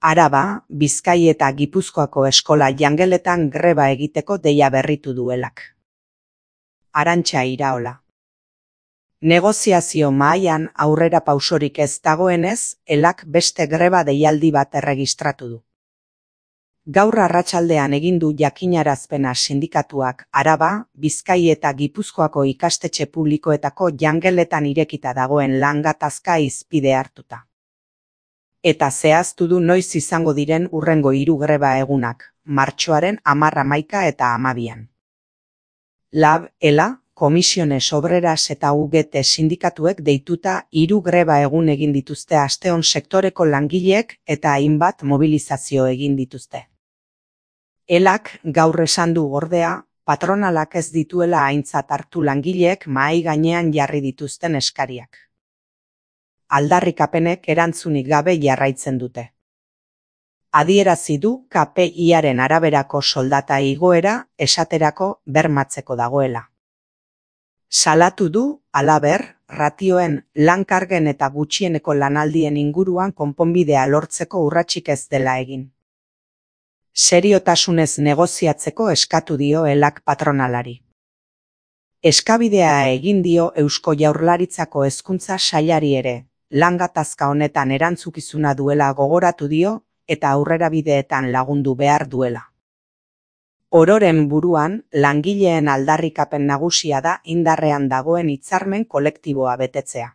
Araba, Bizkai eta Gipuzkoako eskola jangeletan greba egiteko deia berritu duelak. Arantxa Iraola. Negoziazio mahaian aurrera pausorik ez dagoenez, elak beste greba deialdi bat erregistratu du. Gaur arratsaldean egin du jakinarazpena sindikatuak Araba, Bizkai eta Gipuzkoako ikastetxe publikoetako jangeletan irekita dagoen lan gatazka hizpide hartuta. Eta zehaztu du noiz izango diren hurrengo 3 greba egunak, martxoaren 10, 11 eta 12. Lab, ELA, Komisiones Obreras eta UGT sindikatuek deituta 3 greba egun egin dituzte asteon sektoreko langileek eta hainbat mobilizazio egin dituzte. ELAk gaur esan du ordea, patronalak ez dituela aintzat hartu langileek mahai gainean jarri dituzten eskariak. Aldarrikapenek erantzunik gabe jarraitzen dute. Adierazi du KPI-aren araberako soldata igoera esaterako bermatzeko dagoela. Salatu du, halaber, ratioen, lan-kargen eta gutxieneko lanaldien inguruan konponbidea lortzeko urratsik ez dela egin. Seriotasunez negoziatzeko eskatu dio elak patronalari. Eskabidea egin dio Eusko Jaurlaritzako Hezkuntza Sailari ere, lan gatazka honetan erantzukizuna duela gogoratu dio eta aurrerabideetan lagundu behar duela. Ororen buruan, langileen aldarrikapen nagusia da indarrean dagoen hitzarmen kolektiboa betetzea.